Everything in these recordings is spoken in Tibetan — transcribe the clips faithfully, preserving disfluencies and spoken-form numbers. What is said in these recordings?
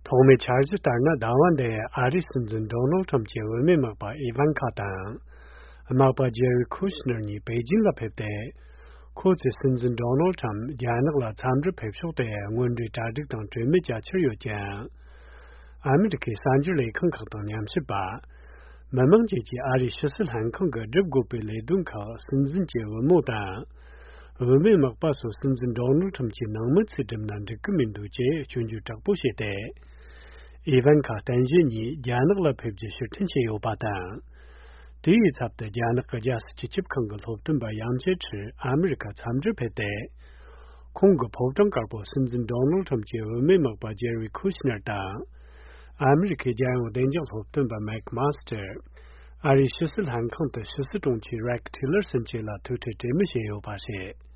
ཐོག་མའི་འཆར་གཞི་ལྟར་ན། ཟླ་བ་འདིའི་ཨ་རིའི་སྲིད་འཛིན་ཌོ་ནལ་ཁྲམ་གྱི་བུད་མེད་མག་པ་ཨི་ཝན་ཁ་དང་། མག་པ་ཇེ་རི་ཁུ་ཤི་ནར་གཉིས་པེ་ཅིན་ལ་ཕེབས་ཏེ། ཁོ་ཚོས་སྲིད་འཛིན་ཌོ་ནལ་ཁྲམ་རྒྱ་ནག་ལ་འཚམས་འདྲིར་ཕེབས་ཕྱོགས་དེ་སྔོན་འགྲོའི་གྲ་སྒྲིག་དང་གྲོས་མོལ་བྱ་འཆར་ཡོད་ཀྱང་། ཨ་མི་རི་ཁའི་གསར་འགྱུར་ལས་ཁང་ཁག་དང་ཉམས་ཞིབ་པ། མི་མང་བཅས་ཀྱིས་ཨ་རིའི་ཕྱི་སྲིད་ལྷན་ཁང་གིས་སྒྲུབ་དགོས་པའི་ལས་དོན་ཁག་སྲིད་འཛིན་གྱི་བུ་མོ་དང་། བུད་མེད་མག་པ་སོགས་སྲིད་འཛིན་ཌོ་ནལ་ཁྲམ་གྱི་ནང་མི་ཚོས་བསྒྲུབས་ན་འགྲིག་གི་མི་འདུག་ཅེས་སྐྱོན་བརྗོད་དྲག་པོ་བྱས་ཏེ། ཨི་ཝན་ཁ་རྟེན་གཞི་གཉིས་རྒྱ་ནག་ལ་ཕེབས་རྒྱུ་ཕྱིར་འཐེན་བྱས་ཡོད་པ་དང་། དེའི་ཚབ་ཏུ་རྒྱ་ནག་གི་རྒྱལ་སྲིད་སྤྱི་ཁྱབ་ཁང་གི་སློབ་སྟོན་པ་ཡང་ཇེ་ཁྲི་ཨ་མི་རི་ཁ་འཚམས་འདྲིར་ཕེབས་ཏེ། ཁོང་གིས་ཕོ་བྲང་དཀར་པོར་སྲིད་འཛིན་ཌོ་ནལ་ཁྲམ་གྱི་བུད་མེད་མག་པ་ཇེ་རི་ཁུ་ཤི་ནར་དང་། ཨ་མི་རི་ཁའི་རྒྱལ་ཡོངས་བདེ་འཇགས་སློབ་སྟོན་པ་མེག་མཱ་སི་ཏེར། ཨ་རིའི་ཕྱི་སྲིད་ལྷན་ཁང་དུ་ཕྱི་སྲིད་དྲུང་ཆེ་རེག་ཐི་ལར་སོན་བཅས་ལ་ཐུག་འཕྲད་གྲོས་མོལ་བྱས་ཡོད་པ་རེད།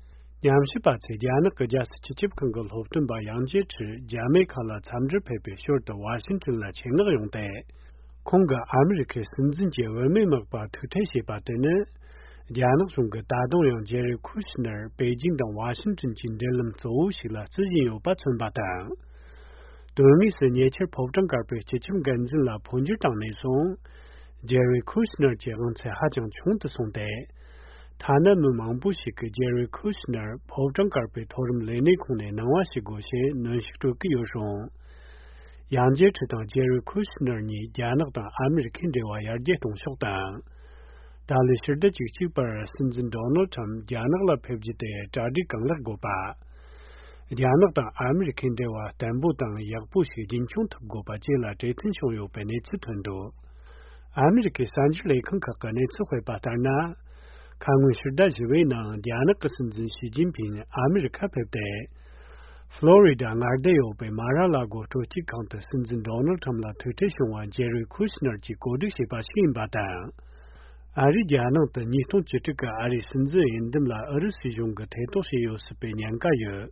ཉམས་ཞིབ་པ་ཚོས་རྒྱ་ནག་གི་རྒྱལ་སྲིད་སྤྱི་ཁྱབ་ཁང་གི་སློབ་སྟོན་པ་ཡང་ཇེ་ཁྲི་རྒྱ་མེ་ཁ་ལ་འཚམས་འདྲིར་ཕེབས་པའི་ཞོར་དུ་ཝ་ཤིང་ཏོན་ལ་ཆེད་མངགས་ཡོང་སྟེ། ཁོང་གིས་ཨ་མི་རི་ཁའི་སྲིད་འཛིན་གྱི་བུད་མེད་མག་པ་ཐུག་འཕྲད་བྱས་པ་དེ་ནི། རྒྱ་ནག་གཞུང་གིས་ད་དུང་ཡང་ཇེ་རི་ཁུ་ཤི་ནར་པེ་ཅིང་དང་ཝ་ཤིང་ཏོན་གྱི་འབྲེལ་ལམ་གཙོ་བོ་ཞིག་ལ་བརྩི་བཞིན་ཡོད་པ་མཚོན་པ་དང་། དོན་དངོས་སུ་ཉེ་ཆར་ཕོ་བྲང་དཀར་པོའི་སྤྱི་ཁྱབ་འགན་འཛིན་ལ་འཕོ་འགྱུར་བཏང་ནས་བཟུང་། ཇེ་རི་ཁུ་ཤི་ནར་གྱི་དབང་ཚད་ཧ་ཅང་ཆུང་དུ་སོང་སྟེ། ཐ་ན་མི་མང་པོ་ཞིག་གིས་ཇེ་རི་ཁུ་ཤི་ནར་ཕོ་བྲང་དཀར་པོའི་མཐོ་རིམ་ལས་སྣེ་ཁོངས་ནས་གནང་བ་ཞིག་དགོས་ཞེས་གནོན་ཤུགས་སྤྲོད་ཀྱི་ཡོད་རུང་། ཡང་ཇེ་ཁྲི་དང་ཇེ་རི་ཁུ་ཤི་ནར་གཉིས་རྒྱ་ནག་དང་ཨ་མི་རི་ཁའི་འབྲེལ་བ་ཡར་རྒྱས་གཏོང་ཕྱོགས་དང་། ད་ལོའི་ཕྱི་ཟླ་བཅུ་གཅིག་པར་སྲིད་འཛིན་ཌོ་ནལ་ཁྲམ་རྒྱ་ནག་ལ་ཕེབས་རྒྱུ་དེ་གྲ་སྒྲིག་གང་ལེགས་དགོས་པ། རྒྱ་ནག་དང་ཨ་མི་རི་ཁའི་འབྲེལ་བ་བརྟན་པོ་དང་ཡག་པོ་ཞིག་རྒྱུན་འཁྱོངས་ཐུབ་དགོས་པ་བཅས་ལ་གྲོས་མཐུན་བྱུང་ཡོད་པའི་གནས་ཚུལ་ཐོན་འདུག་ཨ་མི་རི་ཁའི་གསར་འགྱུར་ལས་ཁང་ཁག་གིས་གནས་ཚུལ་སྤེལ་བ་ལྟར་ན། ཁ་སྔོན་ཕྱི་ཟླ་བཞི་པའི་ནང་རྒྱ་ནག་གི་སྲིད་འཛིན་ཞི་ཅིན་ཕིང་ཨ་མི་རི་ཁ་ཕེབས་ཏེ། ཧྥ་ལོ་རི་ཌ་མངའ་སྡེ་ཡོད་པའི་མ་ར་ལ་གོ་སྤྲོ་སྐྱིད་ཁང་དུ་སྲིད་འཛིན་ཌོ་ནལ་ཁྲམ་ལ་ཐུག་འཕྲད་བྱུང་བ་ཇེ་རི་ཁུ་ཤི་ནར་གྱིས་གོ་སྒྲིག་བྱས་པ་ཞིག་ཡིན་པ་དང་། ཨ་རིས་རྒྱ་ནག་ཏུ་ཉིས་སྟོང་བཅུ་དྲུག་གི་ཨ་རིའི་སྲིད་འཛིན་འོས་འདེམས་ལ་ཨུ་རུ་སུའི་གཞུང་གིས་ཐེ་གཏོགས་བྱས་ཡོད་སྲིད་པའི་ཉེན་ཁ་ཡོད།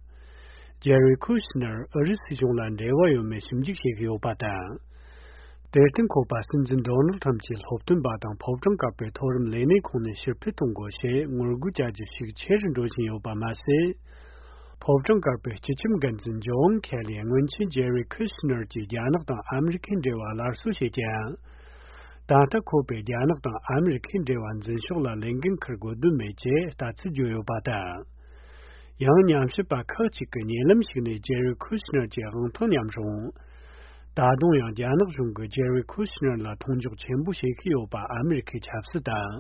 ཇེ་རི་ཁུ་ཤི་ནར་ཨུ་རུ་སུའི་གཞུང་ལ་འབྲེལ་བ་ཡོད་མེད་ཞིབ་འཇུག་བྱེད་ཀྱི་ཡོད་པ་དང་། དེར་བརྟེན་ཁོ་པ་སྲིད་འཛིན་ཌོ་ནལ་ཁྲམ་གྱི་སློབ་སྟོན་པ་དང་ཕོ་བྲང་དཀར་པོའི་མཐོ་རིམ་ལས་སྣེ་ཁོངས་ནས་ཕྱིར་འཕུད་གཏོང་དགོས་ཞེས་ངོ་རྒོལ་བྱ་རྒྱུ་ཞིག་ཆེ་རུ་འགྲོ་བཞིན་ཡོད་པ་མ་ཟད། ཕོ་བྲང་དཀར་པོའི་སྤྱི་ཁྱབ་འགན་འཛིན་ཇོན་ཁེ་ལི་སྔོན་ཆད་ཇེ་རི་ཁུ་ཤི་ནར་གྱིས་རྒྱ་ནག་དང་ཨ་མི་རི་ཁའི་འབྲེལ་བ་སླར་གསོ་བྱེད་ཀྱང་། ད་ལྟ་ཁོ་པས་རྒྱ་ནག་དང་ཨ་མི་རི་ཁའི་འབྲེལ་བ་འཛིན་ཕྱོགས་ལ་ལས་འགན་འཁུར་དགོས་དོན་མེད་ཅེས་ལྟ་ཚུལ་བརྗོད་ཡོད་པ་དང་། ཡང་ཉམས་ཞིབ་པ་ཁག་ཅིག་གིས་ཉེ་ལམ་ཞིག་ནས་ཇེ་རི་ཁུ་ཤི་ནར་གྱི་དབང་ཐང་ཉམས་རུང་། ད་དུང་ཡང་རྒྱ་ནག་གཞུང་གིས་ཇེ་རི་ཁུ་ཤི་ནར་ལ་མཐོང་འཇོག་ཆེན་པོ་བྱེད་ཀྱི་ཡོད་པ་ཨ་མི་རི་ཁའི་ཆབ་སྲིད་དང་།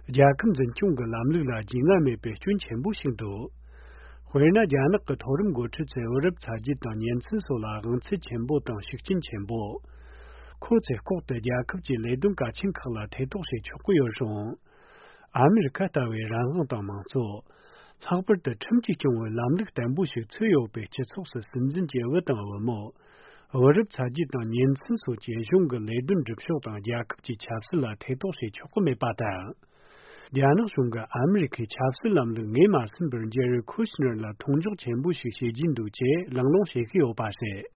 རྒྱལ་ཁབ་འཛིན་སྐྱོང་གི་ལམ་ལུགས་ལ་རྒྱུས་མངའ་མེད་པའི་སྐྱོན་ཆེན་པོ་ཞིག་འདུག་དཔེར་ན། རྒྱ་ནག་གི་མཐོ་རིམ་འགོ་ཁྲིད་ཚོས་བུ་རབས་ཚ་རྒྱུད་དང་ཉིན་མཚན་སོགས་ལ་དབང་ཚད་ཆེན་པོ་དང་ཤུགས་རྐྱེན་ཆེན་པོ། ཁོ་ཚོས་ལྐོག་ཏུ་རྒྱལ་ཁབ་ཀྱི་ལས་དོན་གལ་ཆེན་ཁག་ལ་ཐེ་གཏོགས་བྱེད་ཆོག་གི་ཡོད་རུང་། ཨ་མི་རི་ཁ་ལྟ་བུའི་རང་དབང་དང་མང་གཙོ། ལྷག་པར་དུ་ཁྲིམས་ཀྱིས་སྐྱོང་བའི་ལམ་ལུགས་བརྟན་པོ་ཞིག་ཚུད་ཡོད་པའི་སྤྱི་ཚོགས་སུ་སྲིད་འཛིན་གྱི་བུ་དང་བུ་མོ། བུ་རབས་ཚ་རྒྱུད་དང་ཉིན་མཚན་སོགས་ཀྱིས་གཞུང་གི་ལས་དོན་སྒྲུབ་ཕྱོགས་དང་རྒྱལ་ཁབ་ཀྱི་ཆབ་སྲིད་ལ་ཐེ་གཏོགས་བྱེད་ཆོག་གི་མེད་པ་དང་། རྒྱ་ནག་གཞུང་གིས་ཨ་མི་རི་ཁའི་ཆབ་སྲིད་ལམ་ལུགས་ངོས་མ་ཟིན་པར་ཇེ་རི་ཁུ་ཤི་ནར་ལ་མཐོང་འཇོག་ཆེན་པོ་ཞིག་བྱེད་ཀྱིན་འདུག་ཅེས་གླེང་སློང་བྱེད་ཀྱི་ཡོད་པ་རེད།